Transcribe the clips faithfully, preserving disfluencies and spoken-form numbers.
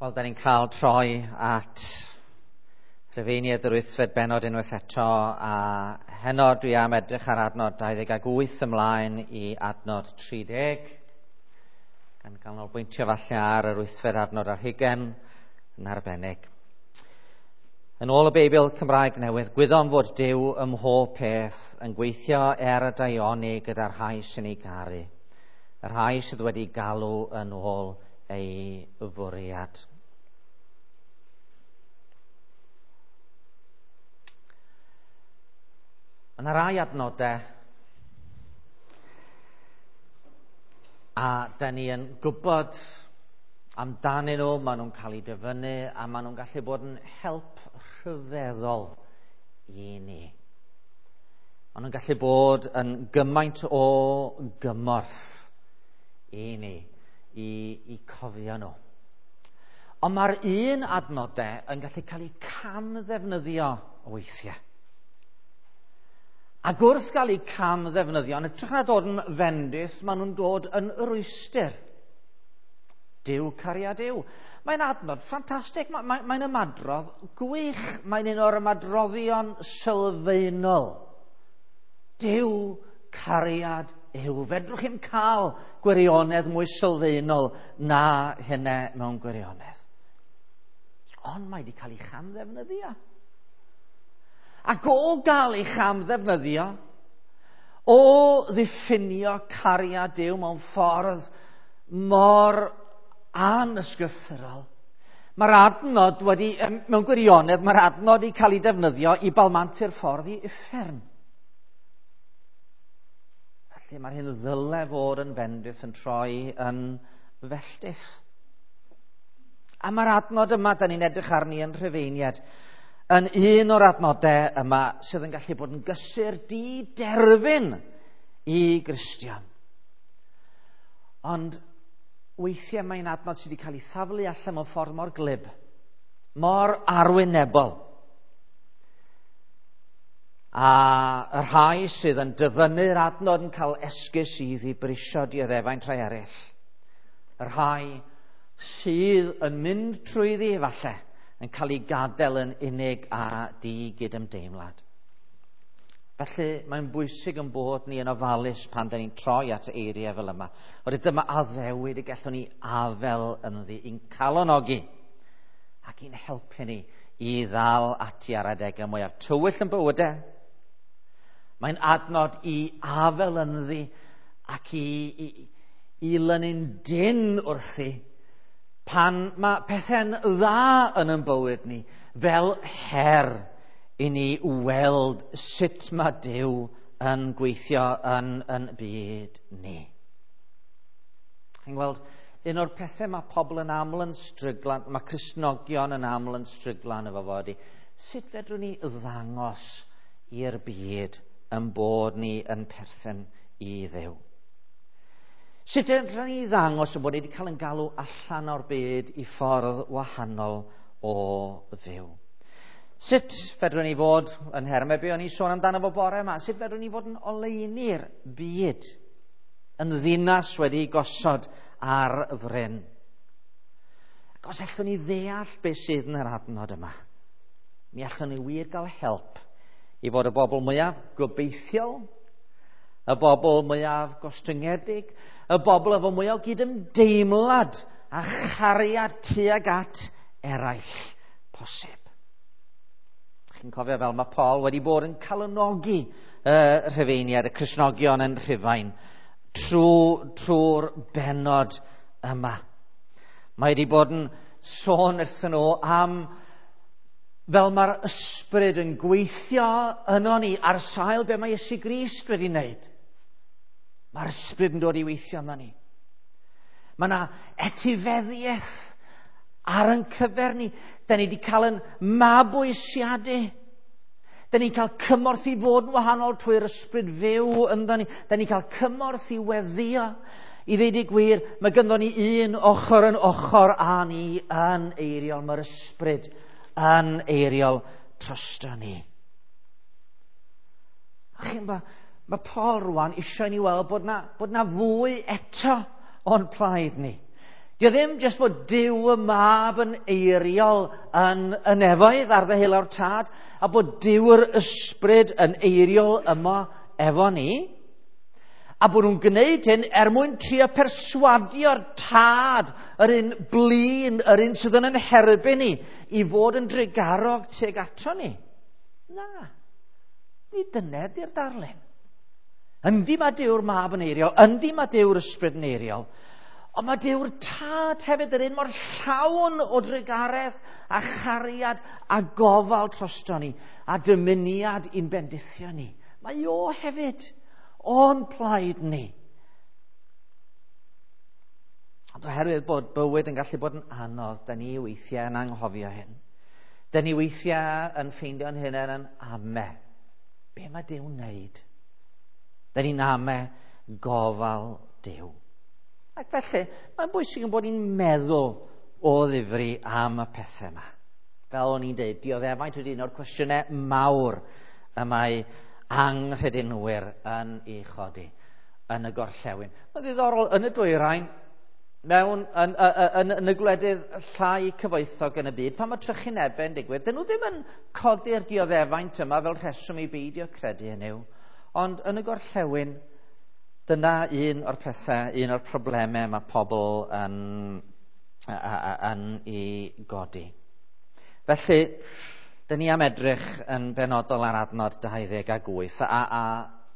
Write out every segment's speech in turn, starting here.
Wel, da ni'n cael troi at Rhufeiniaid yr wythfed bennod unwaith eto, a heno dwi am edrych ar adnod dau ddeg ag wyth ymlaen i adnod tri deg, gan ganolbwyntio falle ar yr wythfed adnod ar hugain yn arbennig. Yn ôl y Beibl Cymraeg Newydd, gwyddom fod Duw ym mhob peth yn gweithio er y daioni gyda'r rhai sy'n ei garu, y rhai sydd wedi galw yn ôl ei fwriad. Mae yna rai adnodau a da ni yn gwybod amdanyn nhw, maen nhw'n cael eu dyfynnu a maen nhw'n gallu bod yn help rhyfeddol i ni. Maen nhw'n gallu bod yn gymaint o gymorth i ni, i, i cofio nhw. Ond mae'r un adnodau yn gallu cael eu camddefnyddio weithiau. Ac wrth gael eu camddefnyddio, yn hytrach na dod yn fendith, maen nhw'n dod yn rwystr. Duw cariad yw. Mae'n adnod ffantastig, mae'n mae, mae ymadrodd gwych, mae'n un o'r ymadroddion sylfaenol. Duw cariad yw. Fedrwch chi'm cael gwirionedd mwy sylfaenol na hynna mewn gwirionedd. Ond mae wedi cael ei chamddefnyddio. Ac o gael ei chamddefnyddio, o ddiffinio cariad Duw mewn ffordd mor anysgrythurol, mae'r adnod wedi, mewn gwirionedd, mae'r adnod wedi cael ei defnyddio i balmantu'r ffordd i uffern. Felly mae'r hyn ddyle fod yn fendith yn troi yn felltith. A mae'r adnod yma, da ni'n edrych arni yn Rhufeiniaid, yn un o'r adnodau yma sydd yn gallu bod yn gysur diderfyn i Gristion. Ond weithiau mae'n adnod sydd wedi cael ei thaflu allan mewn ffordd mor glib, mor arwynebol. A y rhai sydd yn dyfynnu'r adnod yn cael esgus i ddibrisio dioddefaint rhai eraill. Y rhai sydd yn mynd trwyddi falle yn cael ei gadael yn unig a di-gydymdeimlad. Felly mae'n bwysig yn bod ni yn ofalus pan da ni'n troi at eiriau fel yma. Oherwydd dyma addewid y gallwn ni afel ynddi, i'n calonogi ac i'n helpu ni i ddal ati ar adegau mwyaf tywyll yn bywydau. Mae'n adnod i afel ynddi ac i, i, i lynu'n dyn wrthi pan mae pethau'n dda yn ein bywyd ni, fel her i ni weld sut mae Duw yn gweithio yn, yn byd ni. Chi'n gweld, un o'r pethau mae pobl yn aml yn stryglan, mae Cristnogion yn aml yn stryglan efo fo ydi, sut fedrwn ni ddangos i'r byd yn bod ni yn perthyn i Dduw? Sut fedrwn ni ddangos yn bod ni wedi cael yn galw allan o'r byd i ffordd wahanol o fyw? Sut fedrwn ni fod yn nhermau be o'n i sôn amdano fo bore yma? Sut fedrwn ni fod yn oleuni'r byd, yn ddinas wedi gosod ar fryn? Ac os allwn ni ddeall beth sydd yn yr adnod yma, mi allwn ni wir gael help i fod y bobl mwyaf gobeithiol, y bobl mwyaf gostyngedig, y bobl efo mwyaf o gydymdeimlad a chariad tuag at eraill posib. Chi'n cofio fel mae Paul wedi bod yn calonogi y Rhufeiniaid, y Cristnogion yn Rhufain, trwy, trwy'r bennod yma. Mae wedi bod yn sôn wrthyn nhw am fel mae'r ysbryd yn gweithio yno ni ar sail be mae Iesu Grist wedi wneud. Mae'r ysbryd yn dod i weithio yno ni. Mae yna etifeddiaeth ar ein cyfer ni. Da ni wedi cael yn mabwysiadu. Da ni'n cael cymorth i fod yn wahanol trwy'r ysbryd fyw ynddo ni. Da ni'n cael cymorth i weddio. I ddeud y gwir, mae gynddon ni un ochr yn ochr â ni yn eiriol. Mae'r ysbryd yn eiriol drosto ni. A chi'n gwybod, mae Paul rwan eisiau ni weld bod na, bod na fwy eto o'n plaid ni. Dio ddim jyst fod Duw y Mab yn eiriol yn y nefoedd ar ddeheulaw'r Tad, a bod Duw yr Ysbryd yn eiriol yma efo ni, a bod nhw'n gwneud hyn er mwyn trio perswadio'r Tad, yr un blin, yr un sydd yn herbyn ni, i fod yn drugarog tuag ato ni. Na, nid dyna ydi'r darlun. Yndi mae Duw'r Mab yn eiriol, yndi mae Duw'r Ysbryd yn eiriol, ond mae Duw'r Tad hefyd yr un mor llawn o drugaredd a chariad a gofal drosto ni, a dymuniad i'n bendithio ni. Mae o hefyd o'n plaid ni. Ond oherwydd bod bywyd yn gallu bod yn anodd, da ni weithiau yn anghofio hyn. Da ni weithiau yn ffeindio'n hunain yn ame. Be mae Duw'n wneud? Da ni'n ame gofal Duw. Ac felly, mae'n bwysig yn bod ni'n meddwl o ddifri am y pethau yma. Fel o'n i'n dweud, dioddefaint ydy un o'r cwestiynau mawr y mae anghredinwyr yn ei chodi yn y gorllewin. Mae'n ddiddorol, yn y dwyrain, mewn, yn, yn, yn, yn y gwledydd llai cyfoethog yn y byd, pan mae trychinebau yn digwydd, dyn nhw ddim yn codi'r dioddefaint yma fel rheswm i beidio credu yn yw. Ond yn y gorllewin, dyna un o'r pethau, un o'r problemau mae pobl yn, yn ei godi. Felly, dyn ni am edrych yn benodol ar adnod dau ddeg a wyth, a, a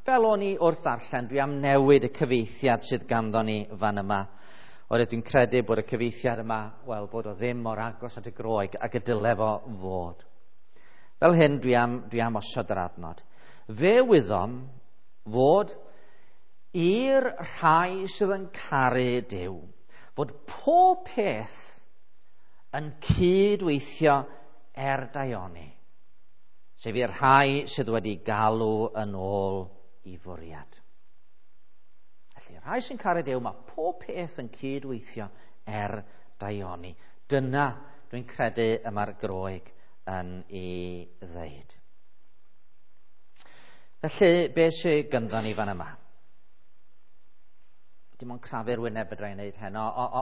fel o'n i wrth ddarllen, dwi am newid y cyfieithiad sydd ganddo ni fan yma. Oherwydd dwi'n credu bod y cyfieithiad yma, wel, bod o ddim mor agos at y Groeg ag y dyle fo fod. Fel hyn, dwi am, dwi am osod yr adnod. Fe wyddom fod i'r rhai sydd yn caru Duw, fod pob peth yn cydweithio er daioni, sef i'r rhai sydd wedi galw yn ôl i fwriad. Felly, rhai sy'n caru Duw, mae pob peth yn cydweithio er daioni. Dyna, dwi'n credu, y mae'r Groeg yn ei ddeud. Felly, be sydd gynddo ni fan yma? Dim ond crafu'r wyneb fedra i wneud heno,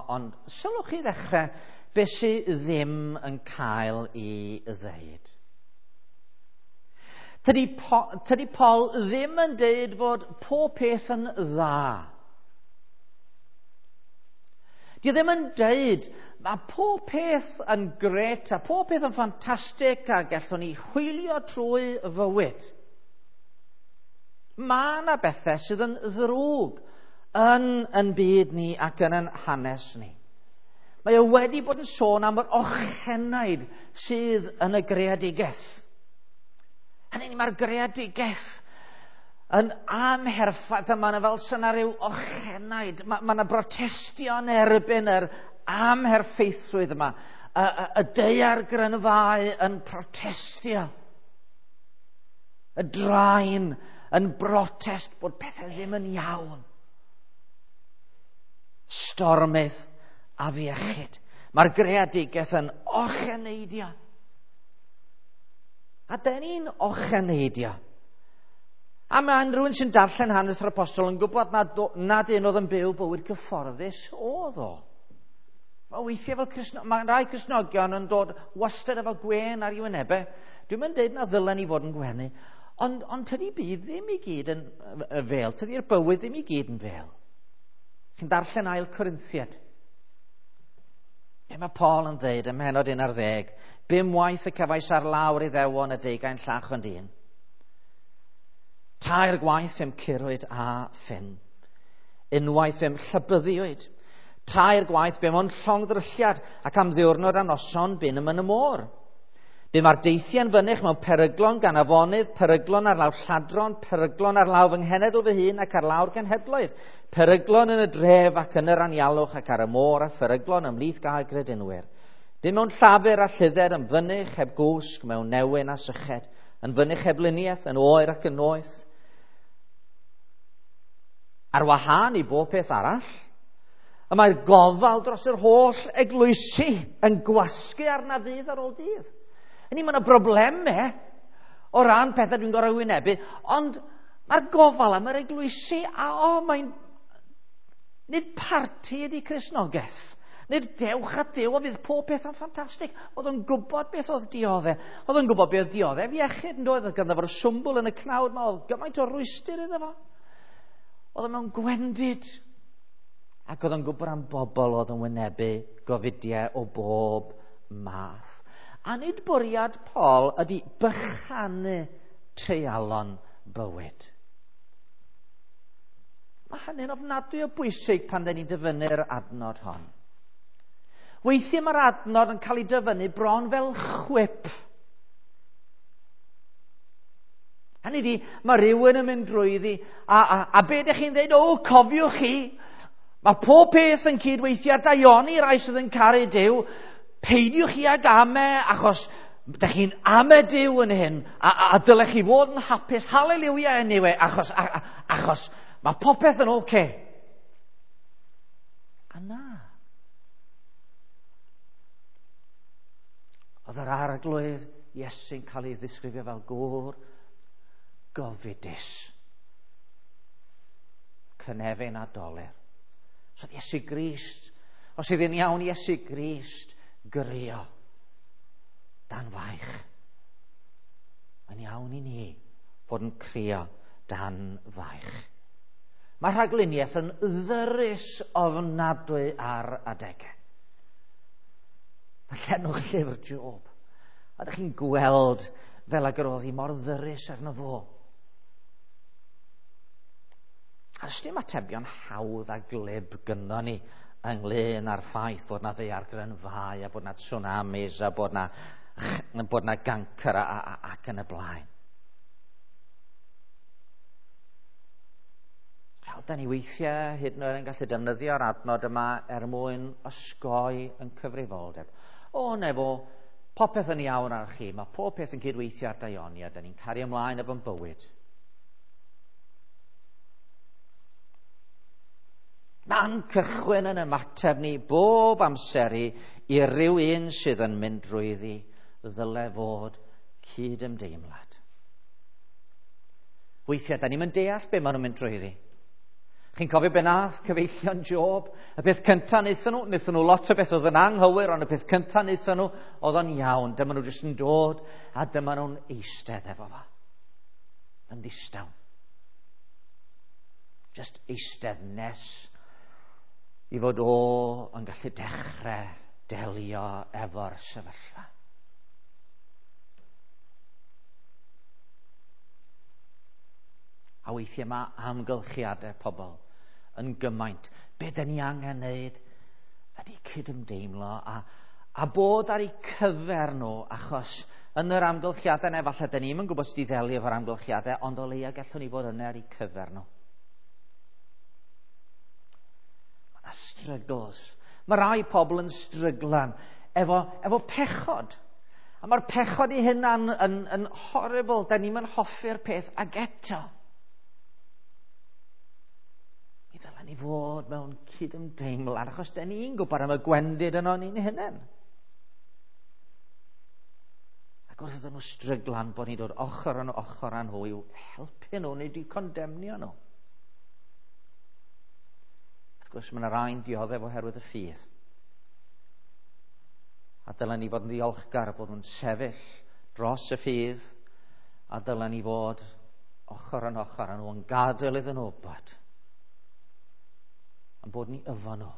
ond sylwch chi ddechrau be sydd ddim yn cael ei ddeud. Tydi, po, tydi Paul ddim yn deud fod pob peth yn dda. Di ddim yn deud mae pob peth yn gret a pob peth yn ffantastig a gallwn ni hwylio trwy fywyd. Mae yna bethau sydd yn ddrwg yn yn byd ni ac yn yn hanes ni. Mae o wedi bod yn sôn am yr ochenaid sydd yn y greadigaeth. Hynny, mae'r greadigaeth yn amherffaith, a mae yna fel syna rhyw ochenaid. Mae, mae yna brotestio yn erbyn yr amherffeithrwydd yma. Y, y, y daeargrynfâu yn protestio. Y draen yn brotest bod pethau ddim yn iawn. Stormydd a afiechyd. Mae'r greadigaeth yn ocheneidio. A dyn ni'n ocheneidio. A mae rhywun sy'n darllen hanes yr apostol yn gwybod nad, nad un oedd yn byw bywyd gyfforddus oedd o. Mae weithiau fel Cristno, mae rai Cristnogion yn dod wastad efo gwên ar ei wynebau. Dwi'm yn deud na ddylen ni fod yn gwenu, ond, ond tydi byd ddim i gyd yn fel, tydi'r bywyd ddim i gyd yn fel. Chi'n darllen ail Corinthiad. Be mae Paul yn dweud ym mhennod un ar ddeg? Bum waith y cefais ar lawr Iddewon y deugain llach ond un. Tair gwaith fe'm curwyd a ffyn. Unwaith fe'm llybyddiwyd. Tair gwaith bum o'n llongddrylliad ac am ddiwrnod a noson bum yn y môr. Bum ar deithiau'n fynych mewn peryglon gan afonydd, peryglon ar law lladron, peryglon ar law fy nghenedl fy hun ac ar lawr genhedloedd, peryglon yn y dref ac yn yr anialwch ac ar y môr a pheryglon ymhlith gael gredinwyr. Bum mewn llafur a lludded yn fynych heb gwsg, mewn newyn a syched, yn fynych heb luniaeth, yn oer ac yn noeth. Ar wahân i bob peth arall, y mae'r gofal dros yr holl eglwysi yn gwasgu arna ddydd ar ôl dydd. Hynny, mae yna broblemau o ran pethau dwi'n gorfod wynebu, ond mae'r gofal am yr eglwysi, a o, mae'n... Nid parti ydy Cristnogaeth. Nid dewch at Dduw, o fydd pob peth yn ffantastig. Oedd o'n gwybod beth oedd dioddef. Oedd o'n gwybod beth oedd dioddef iechyd, yn doedd? Oedd ganddo fo'r swmbwl yn y cnawd 'ma, oedd gymaint o rwystr iddo fo. Oedd o mewn gwendid. Ac oedd o'n gwybod am bobl oedd yn wynebu gofidiau o bob math. A nid bwriad Paul ydy bychanu treialon bywyd. Mae hynny'n ofnadwy o bwysig pan dyn ni'n dyfynnu'r adnod hon. Weithiau mae'r adnod yn cael ei dyfynnu bron fel chwip. Hynny ydi, mae rhywun yn mynd drwyddi, a, a, a be ydych chi'n dweud? O, cofiwch chi, mae pob peth yn cydweithio ar daioni rai sydd yn caru Duw. Peidiwch chi ag ame, achos ydych chi'n ame Duw yn hyn, a, a, a dylech chi fod yn hapus, hallelujah anyway, achos, a, a, achos mae popeth yn oce. Okay. A na. Oedd yr Arglwydd Iesu'n cael ei ddisgrifio fel gŵr gofidus. Cynefin a dolur. So oedd Iesu Grist, os ydd yn iawn Iesu Grist, grio dan faich. Mae'n iawn i ni fod yn crio dan faich. Mae rhagluniaeth yn ddyrus ofnadwy ar adegau. Darllenwch llyfr Job. A ydych chi'n gweld fel ag yr oedd hi mor ddyrus arno fo. A does dim atebion hawdd a glib gynno ni ynglyn â'r ffaith fod na ddaeargrynfâu a bod na tsunamis a bod na, bod na gancr a, a, ac yn y blaen. Wel, da ni weithiau hyd yn oed yn gallu defnyddio'r adnod yma er mwyn osgoi yn cyfrifoldeb. O, nefo, popeth yn iawn ar chi, mae pob peth yn cydweithio ar daioni a da ni'n cario ymlaen efo'n bywyd. Man cychwyn yn ymateb ni bob amser i, i ryw un sydd yn mynd drwyddi ddyle fod cydymdeimlad. Weithiau, da ni'n deall be maen nhw'n mynd drwyddi. Chi'n cofio be nath cyfeillion Job? Y peth cyntaf wnaethon nhw, wnaethon nhw lot o beth oedd yn anghywir, ond y peth cyntaf wnaethon nhw oedd o'n iawn. Dyma nhw jyst yn dod a dyma nhw'n eistedd efo fo. Yn ddistaw. Just eistedd nes i fod o yn gallu dechrau delio efo'r sefyllfa. A weithiau mae amgylchiadau pobl yn gymaint. Be dyn ni angen wneud ydy cydymdeimlo a, a bod ar eu cyfer nhw, achos yn yr amgylchiadau yna, falle dyn ni'm yn gwybod sut i ddelio efo'r amgylchiadau, ond o leia gallwn ni fod yna ar eu cyfer nhw. Mae yna struggles. Mae rai pobl yn stryglan efo, efo pechod. A mae'r pechod i hynna'n yn, yn horrible. Da ni'm yn hoffi'r peth ag eto. Mi ddylen ni fod mewn cydymdeimlad, achos da ni'n gwybod am y gwendid yno ni'n hunain. Ac wrth iddyn nhw stryglan bod ni'n dod ochr yn ochr â nhw i'w helpu nhw, neu di condemnio nhw. Wrth gwrs, mae yna rai'n dioddef oherwydd y ffydd. A dylen ni fod yn ddiolchgar bod nhw'n sefyll dros y ffydd, a dylen ni fod ochr yn ochr â nhw yn gadael iddyn nhw wybod yn bod ni efo nhw.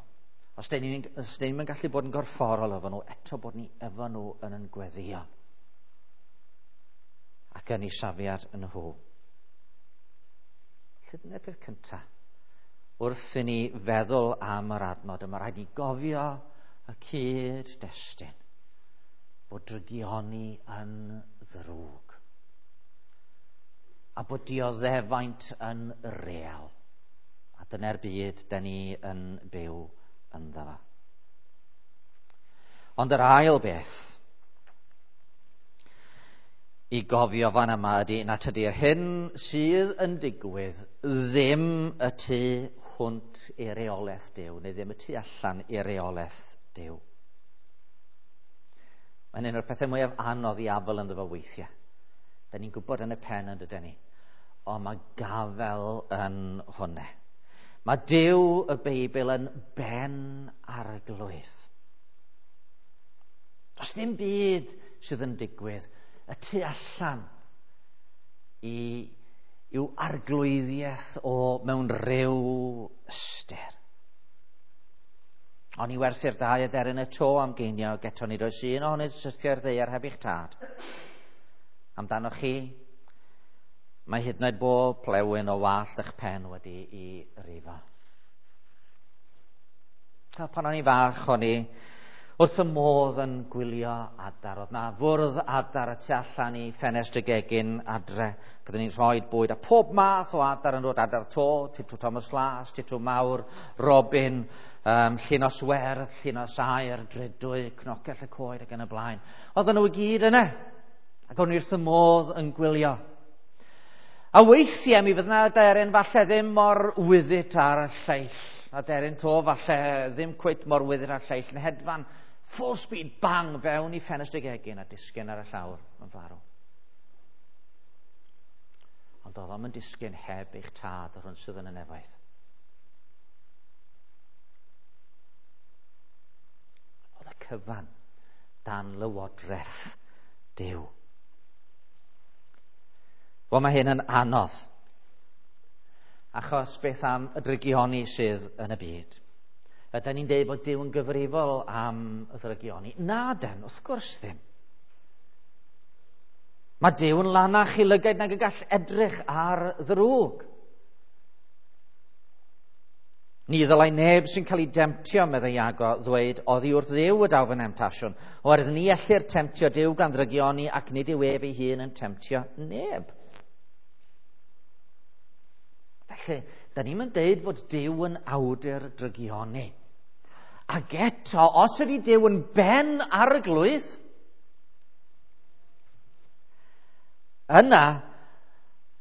Os dyn ni'n yn gallu bod yn gorfforol efo nhw, eto bod ni efo nhw yn yn gweddio ac yn eu safiad yn nhw. Felly dyna'r peth cyntaf. Wrth i ni feddwl am yr adnod yma, rhaid i gofio y cyd-destun bod drygioni yn ddrwg a bod dioddefaint yn real. A dyna'r byd da ni yn byw ynddo fo. Ond yr ail beth i gofio fan yma ydy na tydi'r hyn sydd yn digwydd ddim y tu hwnt i reolaeth Duw, neu ddim y tu allan i reolaeth Duw. Mae'n un o'r pethau mwyaf anodd i afel ynddo fo weithiau. Da ni'n gwybod yn y pen yn dydyn ni, ond mae gafel yn hwnna. Mae Duw y Beibl yn ben arglwydd. Does dim byd sydd yn digwydd y tu allan i i'w arglwyddiaeth o mewn rhyw ystyr. Ond i werthu'r dau aderyn y to am geiniog, eto nid oes un ohonynt syrthio i'r ddaear heb eich tad. Amdanoch chi, mae hyd yn oed bob plewyn o wallt eich pen wedi i rifo. A pan o'n i fach, o'n i wrth y modd yn gwylio adar. Oedd na fwrdd adar y tu allan i ffenest y gegin adre. Gyda ni'n rhoi bwyd a pob math o adar yn dod. Adar to, titw Thomas Las, titw mawr, robin, um, llinos werdd, llinos aer, drydwy, cnocell y coed ac yn y blaen. Oedden nhw i gyd yna. Ac o'n i wrth y modd yn gwylio. A weithiau mi fydd yna aderyn falle ddim mor wyddit ar y lleill. Aderyn to falle ddim cweit mor wyddit ar y lleill. Yn hedfan full speed, bang, fewn i ffenest y gegin a disgyn ar y llawr yn farw. Ond oedd o'm yn disgyn heb eich tad yr hwn sydd yn y nefoedd. Oedd y cyfan dan lywodraeth Duw. Wel, mae hyn yn anodd. Achos beth am y drygioni sydd yn y byd? Ydy ni'n deud bod Duw yn gyfrifol am y ddrygioni? Na den, wrth gwrs ddim. Mae Duw yn lanach i lygaid nag y gall edrych ar ddrwg. Ni ddylai neb sy'n cael ei demtio, meddai Iago, ddweud, oddi wrth Dduw y daw fy nemtasiwn. Oherwydd ni ellir temtio Duw gan ddrygioni ac nid yw ef ei hun yn temtio neb. Felly, da ni'n deud fod Duw yn awdur drygioni. Ac eto, os ydy Duw yn ben arglwydd, yna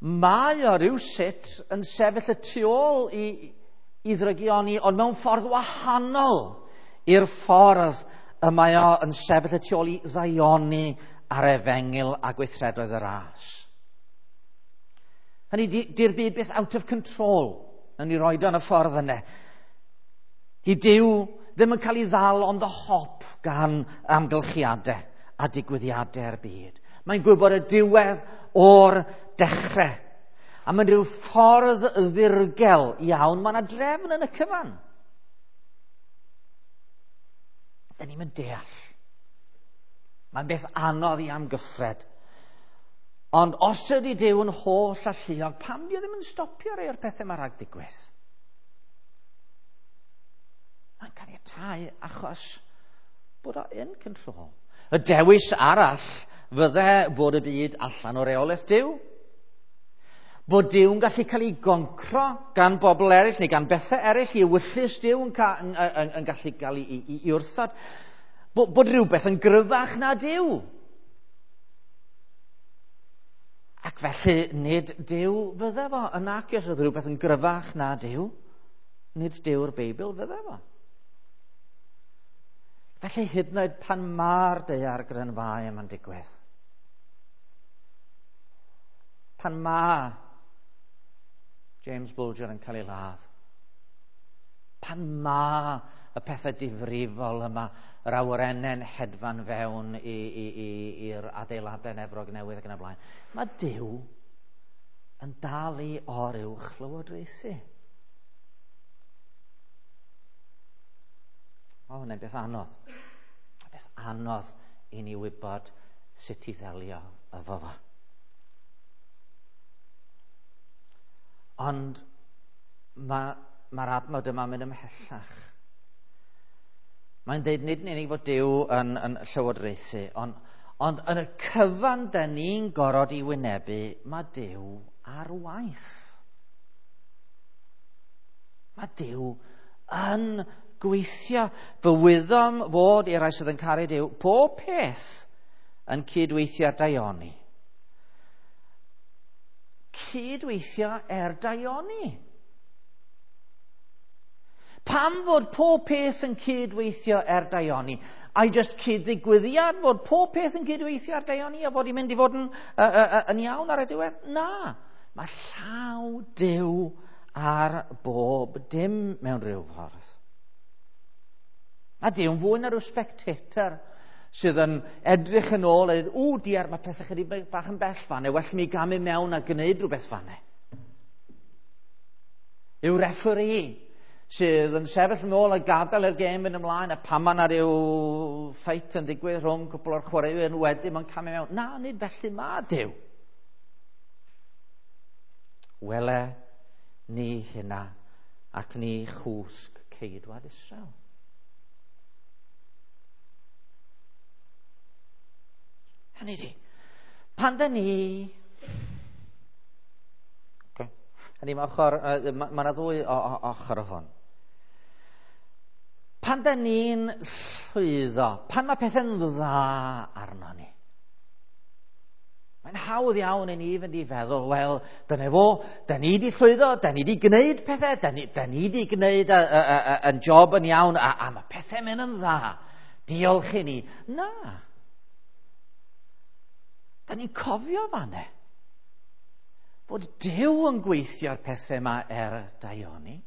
mae o rywsut yn sefyll y tu ôl i, i ddrygioni, ond mewn ffordd wahanol i'r ffordd y mae o yn sefyll y tu ôl i ddaioni ar efengyl a gweithredoedd y ras. Hynny, di'r byd byth out of control. Nawn ni roed o yn y ffordd yna. Di Duw ddim yn cael ei ddal on the hop gan amgylchiadau a digwyddiadau'r byd. Mae'n gwybod y diwedd o'r dechrau. A mae'n rhyw ffordd ddirgel iawn, mae yna drefn yn y cyfan. Da ni'n mynd deall. Mae'n beth anodd i amgyffred. Ond os ydy Duw yn holl alluog, pam di o ddim yn stopio rhai o'r pethau mae rhag digwydd? Mae'n caniatáu achos bod o in control. Y dewis arall fydde bod y byd allan o reolaeth Duw. Bod Duw yn gallu cael ei goncro gan bobl eraill neu gan bethau eraill, i ewyllys Duw yn, ca, yn, yn, yn gallu cael ei, ei, ei wrthod. Bod, bod rhywbeth yn gryfach na Duw. Ac felly nid Duw fydde fo. Yn nac os oedd rhywbeth yn gryfach na Duw, nid Duw'r Beibl fydde fo. Felly hyd yn oed pan mae'r daear grynfau yma'n digwydd, pan mae James Bulger yn cael ei ladd, pan mae y pethau difrifol yma, yr awyrennau'n hedfan fewn i'r adeiladau yn Efrog Newydd ac yn y blaen, mae Duw yn dal i oruwch lywodraethu. O, hwnna'n beth anodd. Beth anodd i ni wybod sut i ddelio efo fo. Ond mae'r ma adnod yma'n mynd ymhellach. Mae'n deud nid yn unig fod Duw yn, yn llywodraethu, ond, ond yn y cyfan da ni'n gorfod i wynebu, mae Duw ar waith. Mae Duw yn gweithio. Fe wyddom fod i'r rhai sydd yn caru Duw, pob peth yn cydweithio ar daioni. Cydweithio er daioni. Pam fod pob peth yn cydweithio er daioni? Ai just cyd-ddigwyddiad fod pob peth yn cydweithio ar daioni a fod i'n mynd i fod yn, uh, uh, yn iawn ar y diwedd? Na. Mae llaw Duw ar bob dim mewn rhyw ffordd. A Duw'n fwy na rhyw spectator sydd yn edrych yn ôl a dweud, ww, diar, mae pethau chydig bach yn bell fanne, well mi gamu mewn a gwneud rhywbeth fanne. Yw referee sydd yn sefyll yn ôl a gadael i'r gêm fynd ymlaen, a pan mae yna ryw ffeit yn digwydd rhwng cwpl o'r chwaraewyr wedyn mae'n camu mewn. Na, nid felly ma Duw. Wele ni hynna ac ni chwsg ceidwad Israel. Hynny di, pan da ni... Okay. Hynny, mae ochr, mae yna ddwy o, o, ochr o hwn. Pan da ni'n llwyddo, pan mae pethau'n dda arno ni, mae'n hawdd iawn i ni fynd i feddwl, wel, dyna fo, da ni di llwyddo, da ni di gwneud pethau, da ni, da ni di gwneud yn job yn iawn, a, a mae pethau'n mynd yn dda. Diolch i ni. Na. Da ni'n cofio fanne fod Duw yn gweithio'r pethau yma er daioni.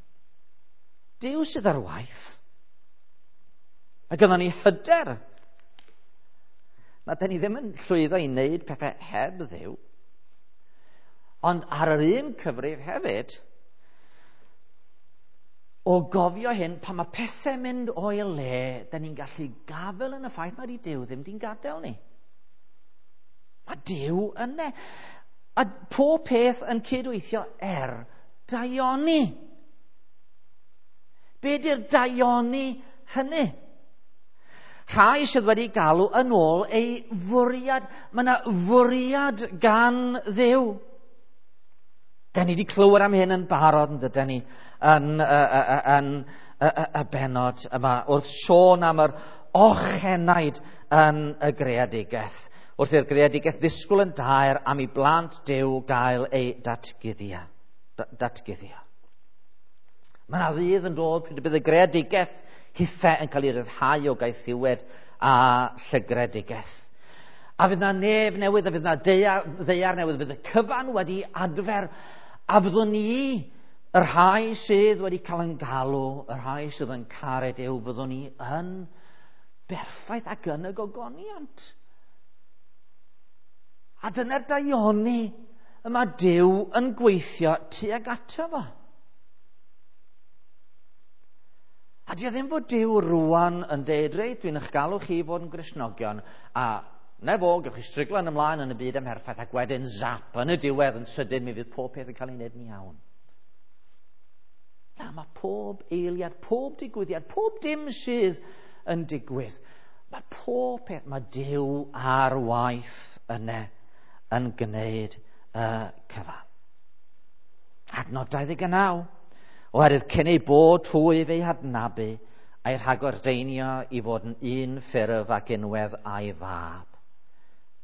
Duw sydd ar waith. A gynnon ni hyder na da ni ddim yn llwyddo i wneud pethau heb Dduw. Ond ar yr un cyfrif hefyd, o gofio hyn, pan mae pethau mynd o'i le, da ni'n gallu gafel yn y ffaith nad i Duw ddim di'n gadael ni. Mae Duw yna. A pob peth yn cydweithio er daioni. Be di'r daioni hynny? Rhai sydd wedi galw yn ôl ei fwriad. Mae yna fwriad gan Dduw. Da ni wedi clywed am hyn yn barod, yn dydyn ni, yn, yn, yn y bennod yma, wrth sôn am yr ochenaid yn y greadigaeth. Wrth i'r greadigaeth ddisgwyl yn daer am i blant Duw gael ei datguddio. datguddio. Mae yna ddydd yn dod pryd y bydd y greadigaeth hithau yn cael ei ryddhau o gaethiwed a llygredigaeth. A fydd na nef newydd, a fydd na ddaear, ddaear newydd, fydd y cyfan wedi adfer, a fyddwn ni, y rhai sydd wedi cael yn galw, y rhai sydd yn caru Duw, fyddwn ni yn berffaith ac yn y gogoniant. A dyna'r daioni y mae Duw yn gweithio tuag ato fo. A di o ddim fod Duw rwan yn deud, reit, dwi'n eich galw chi fod yn Gristnogion, a na fo, gewch chi stryglan ymlaen yn y byd amherffaith, ac wedyn zap, yn y diwedd, yn sydyn, mi fydd pob peth yn cael ei wneud yn iawn. Na, mae pob eiliad, pob digwyddiad, pob dim sydd yn digwydd, mae pob peth, mae Duw ar waith yna yn gwneud y cyfan. Adnod dau ddeg naw. Oherwydd cyn ei bod hwy fe'i hadnabu, a'i rhagordeinio i fod yn un ffurf ac unwedd a'i fab,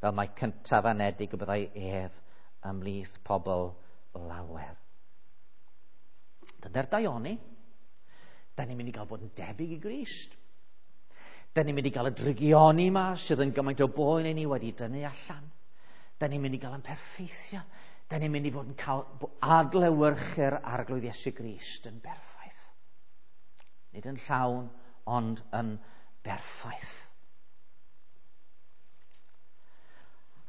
fel mae cyntaf anedig y byddai ef ymhlith pobl lawer. Dyna'r daioni. Da ni'n mynd i gael bod yn debyg i Grist. Da ni'n mynd i gael y drygioni yma sydd yn gymaint o boen i ni wedi dynnu allan. Da ni'n mynd i gael yn perffeithio. Da ni'n mynd i fod yn cael adlewyrchu'r Arglwydd Iesu Grist yn berffaith. Nid yn llawn, ond yn berffaith.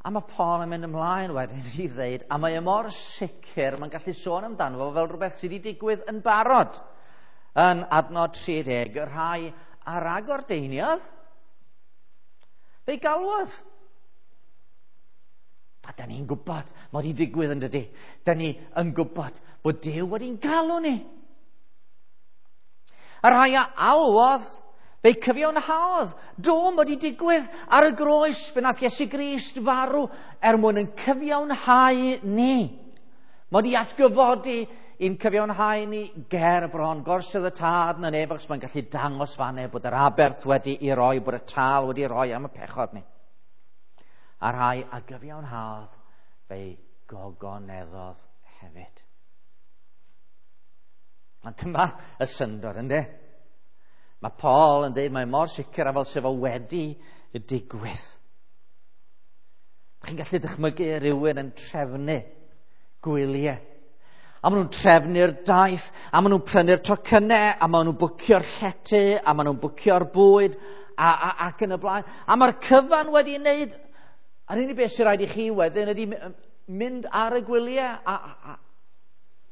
A mae Paul yn mynd ymlaen wedyn i ddeud, a mae e mor sicr, mae'n gallu sôn amdano fo fel rhywbeth sydd wedi digwydd yn barod. Yn adnod tri deg, y rhai a ragordeiniodd, fe'i galwodd. A da ni'n gwybod, mae wedi digwydd yn dydy. Da ni yn gwybod bod Duw wedi'n galw ni. Y rhai a alwodd, fe'i cyfiawnhaodd. Do, mae wedi digwydd ar y groes, fe nath Iesu Grist farw er mwyn yn cyfiawnhau ni. Mae wedi atgyfodi i'n cyfiawnhau ni ger bron gorsedd y Tad yn y nef, achos mae'n gallu dangos fanne bod yr aberth wedi ei roi, bod y tâl wedi ei roi am y pechod ni. A rhai a gyfiawnhaodd, fe'i gogoneddodd hefyd. Ond dyma y syndod, ynddo? Mae Paul yn dweud mae mor sicr a fel sef o wedi digwydd. Chi'n gallu dychmygu rhywun yn trefnu gwyliau. A maen nhw'n trefnu'r daith, a maen nhw'n prynu'r tocynnau, a maen nhw'n bwcio'r llety, a maen nhw'n bwcio'r bwyd, a, a, ac yn y blaen. A mae'r cyfan wedi wneud, a'r unig beth sy'n rhaid i chi wedyn ydy mynd ar y gwyliau a, a,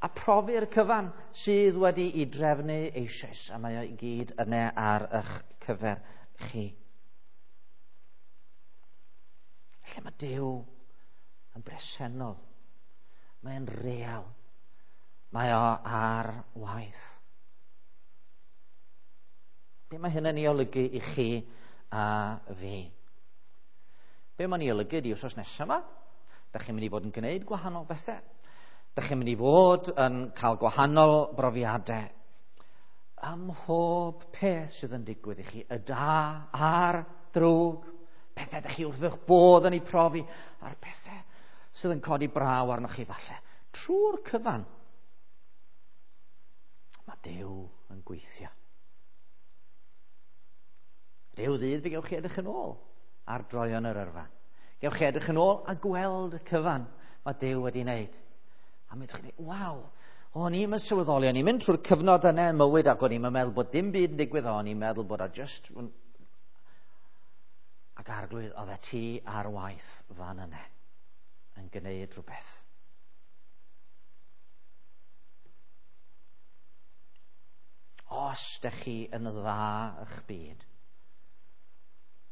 a profi'r cyfan sydd wedi ei drefnu eisoes. A mae o i gyd yna ar eich cyfer chi. Felly mae Duw yn bresennol. Mae'n real. Mae o ar waith. Be mae hyn yn ei olygu i chi a fi? Be mae'n ei olygu di wythnos nesaf yma? Da chi'n mynd i fod yn gwneud gwahanol bethau. Da chi'n mynd i fod yn cael gwahanol brofiadau. Ym mhob peth sydd yn digwydd i chi, y da a'r drwg, pethau da chi wrth eich bodd yn ei profi, a'r pethau sydd yn codi braw arnoch chi falle. Trwy'r cyfan, mae Duw yn gweithio. Rhyw ddydd fe gewch chi edrych yn ôl ar droion yr yrfa. Gewch chi edrych yn ôl a gweld y cyfan mae Duw wedi wneud. A mi ydych chi'n dweud, waw, o'n i'n sylweddoli, o'n i'n mynd trwy'r cyfnod yna yn mywyd ac o'n i'n meddwl bod dim byd yn digwydd, o'n i'n meddwl bod o just... Ac Arglwydd, oedd e ti ar waith fan yna yn gwneud rhywbeth. Os ydych chi yn dda eich byd,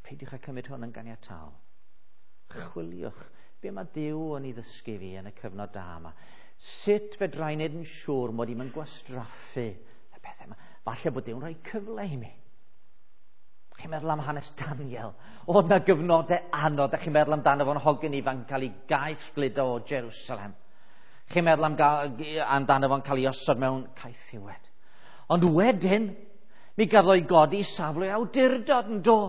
peidiwch â cymryd hwn yn ganiataol. Chwiliwch be mae Duw yn ei ddysgu fi yn y cyfnod da yma. Sut fedra i wneud yn siŵr mod i'm yn gwastraffu y pethau yma? Falle bod Duw'n rhoi cyfle i mi. Chi'n meddwl am hanes Daniel? Oedd na gyfnodau anodd. Chi'n meddwl amdano fo'n hogyn ifanc cael ei gaethgludo o Jerusalem. Chi'n meddwl am amdano fo'n cael ei osod mewn caethiwed. Ond wedyn, mi gafodd o'i godi safle awdurdod yn do.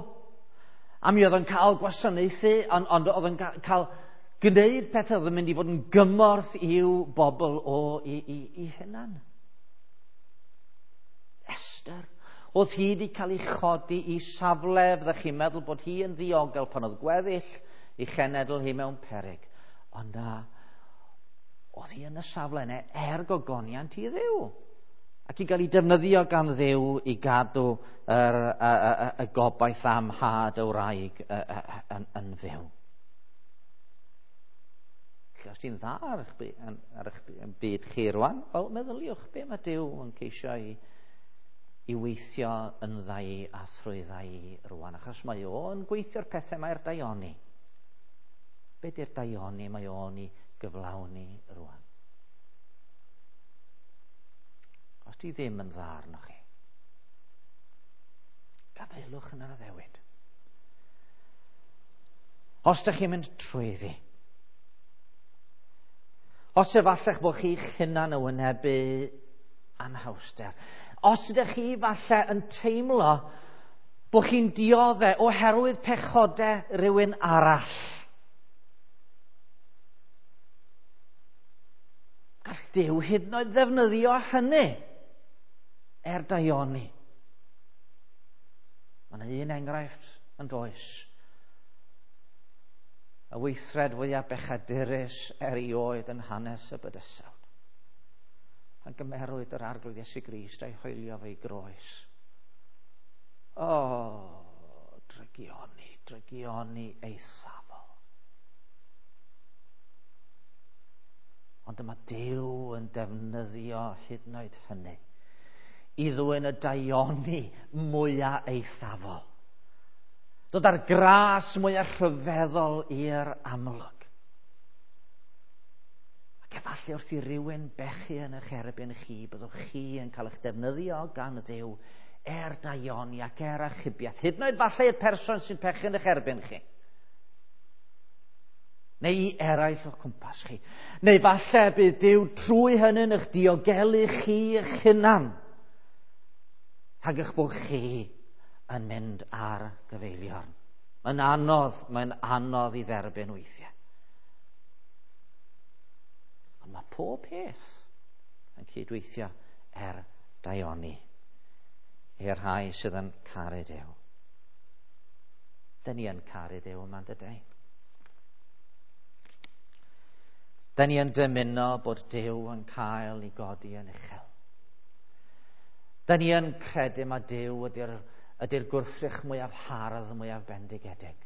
A mi oedd o'n cael gwasanaethu, ond, ond oedd o'n cael gwneud pethau oedd yn mynd i fod yn gymorth i'w bobl o i, i, i hunan. Esther, oedd hi wedi cael ei chodi i safle, fyddech chi'n meddwl bod hi yn ddiogel pan oedd gweddill i chenedl hi mewn peryg. Ond na, oedd hi yn y safle yna er gogoniant i Dduw. Ac i gael ei defnyddio gan Dduw i gadw yr, y, y, y gobaith am had y wraig yn, yn fyw. Felly, os ti'n dda ar eich, ar eich byd chi rwan, wel, meddyliwch be mae Duw yn ceisio i, i weithio yn ddau a thrwy ddau rwan, achos mae o'n gweithio'r pethau mae'r daioni. Be di'r daioni mae o'n i gyflawni rwan? Os di ddim yn dda arnoch chi, gafaelwch yn yr addewid. Os ydych chi'n mynd trwyddi, os efalla'ch bod chi'ch hunan yn wynebu anhawster, os ydych chi falle yn teimlo bod chi'n dioddef oherwydd pechodau rhywun arall, gall Duw hyd yn oed ddefnyddio hynny er daioni. Mae yna un enghraifft yn does. Y weithred fwyaf bechadurus erioed yn hanes y bydysawd. Pan gymerwyd yr Arglwydd Iesu Grist a'i hoelio fe'i groes. O, drygioni, drygioni eithafol. Ond dyma Duw yn defnyddio hyd yn oed hynny i ddwyn y daioni mwyaf eithafol. Dod â'r gras mwyaf rhyfeddol i'r amlwg. Ac efallai wrth i rywun bechu yn eich erbyn chi, byddwch chi yn cael eich defnyddio gan Dduw er daioni ac er achubiaeth. Hyd yn oed falle i'r person sy'n pechu yn eich erbyn chi. Neu i eraill o'ch cwmpas chi. Neu falle bydd Duw trwy hynny'n eich diogelu chi eich hunan. Rhag eich bod chi yn mynd ar gyfeiliorn. Mae'n anodd, mae'n anodd i dderbyn weithiau. Ond mae pob peth yn cydweithio er daioni i'r rhai sydd yn caru Duw. Dyn ni yn caru Duw yma, dydy? Da ni yn dymuno bod Duw yn cael ei godi yn uchel. Da ni yn credu mae Duw ydy'r, ydy'r gwrthrych mwyaf hardd, mwyaf bendigedig,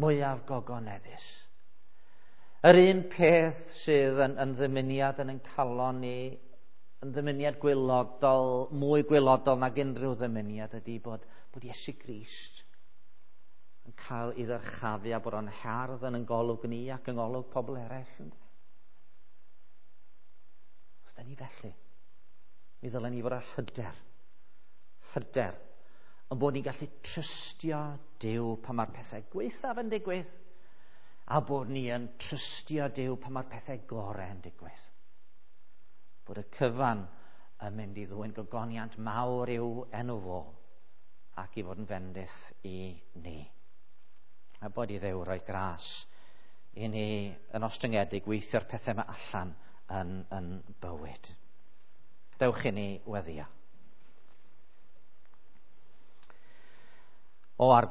mwyaf gogoneddus. Yr un peth sydd yn, yn ddymuniad yn ein calon ni, yn ddymuniad gwelodol, mwy gwelodol nag unrhyw ddymuniad ydy bod, bod Iesu Grist yn cael ei ddyrchafu a bod o'n hardd yn ein golwg ni ac yng ngolwg pobl eraill. Os da ni felly, mi ddylen ni fod â hyder, hyder, yn bod ni'n gallu trystio Duw pan mae'r pethau gwaethaf yn digwydd, a bod ni yn trystio Duw pan mae'r pethau gorau yn digwydd. Bod y cyfan yn mynd i ddwyn gogoniant mawr i'w enw fo ac i fod yn fendith i ni. A bod i Dduw roi gras i ni yn ostyngedig weithio'r pethau yma allan yn, yn bywyd. Dewch i ni weddio. O Arglwydd